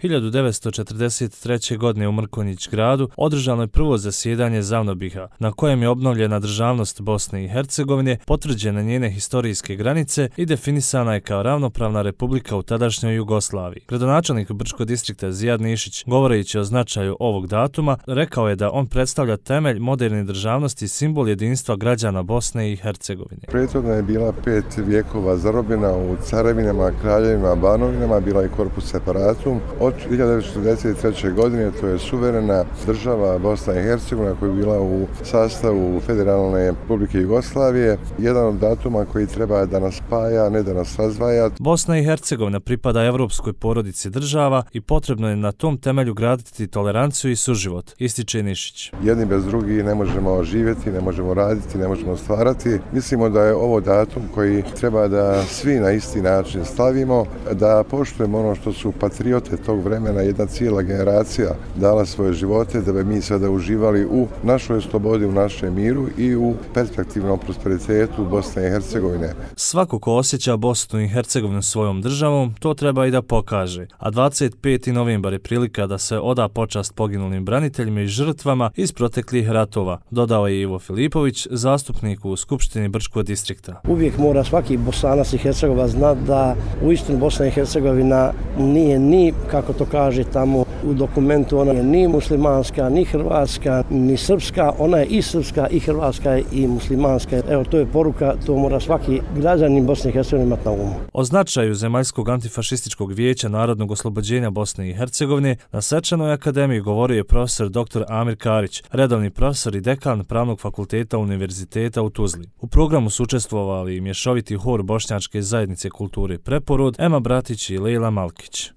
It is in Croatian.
1943. godine u Mrkonjić gradu održano je prvo zasjedanje Zavnobiha, na kojem je obnovljena državnost Bosne i Hercegovine, potvrđene njene historijske granice i definisana je kao ravnopravna republika u tadašnjoj Jugoslaviji. Gradonačelnik Brčkog distrikta Zijad Nišić, govoreći o značaju ovog datuma, rekao je da on predstavlja temelj moderne državnosti i simbol jedinstva građana Bosne i Hercegovine. Prethodno je bila 5 vijekova zarobljena u carevinama, kraljevima, banovinama, bila je korpus separatum. Od 1943. godine to je suverena država Bosna i Hercegovina koja je bila u sastavu Federalne Republike Jugoslavije. Jedan od datuma koji treba da nas spaja, ne da nas razdvaja. Bosna i Hercegovina pripada evropskoj porodici država i potrebno je na tom temelju graditi toleranciju i suživot, ističe Nišić. Jedni bez drugih ne možemo živjeti, ne možemo raditi, ne možemo stvarati. Mislimo da je ovo datum koji treba da svi na isti način stavimo, da poštujemo ono što su patriote tog vremena, jedna cijela generacija dala svoje živote da bi mi sada uživali u našoj slobodi, u našem miru i u perspektivnom prosperitetu Bosne i Hercegovine. Svako ko osjeća Bosnu i Hercegovinu svojom državom, to treba i da pokaže. A 25. novembar je prilika da se oda počast poginulim braniteljima i žrtvama iz proteklih ratova, dodao je Ivo Filipović, zastupnik u Skupštini Brčkog distrikta. Uvijek mora svaki Bosanac i Hercegovac znati da uistinu Bosna i Hercegovina nije ni, kako to kaže tamo u dokumentu, ona je ni muslimanska, ni hrvatska, ni srpska, ona je i srpska, i hrvatska, i muslimanska. Evo, to je poruka, to mora svaki građanin Bosne i Hercegovine imati na umu. O značaju Zemaljskog antifašističkog vijeća narodnog oslobođenja Bosne i Hercegovine na svečanoj akademiji govorio je profesor dr. Amir Karić, redovni profesor i dekan Pravnog fakulteta Univerziteta u Tuzli. U programu su učestvovali i mješoviti hor Bošnjačke zajednice kulture Preporod, Ema Bratić i Lejla Malkić.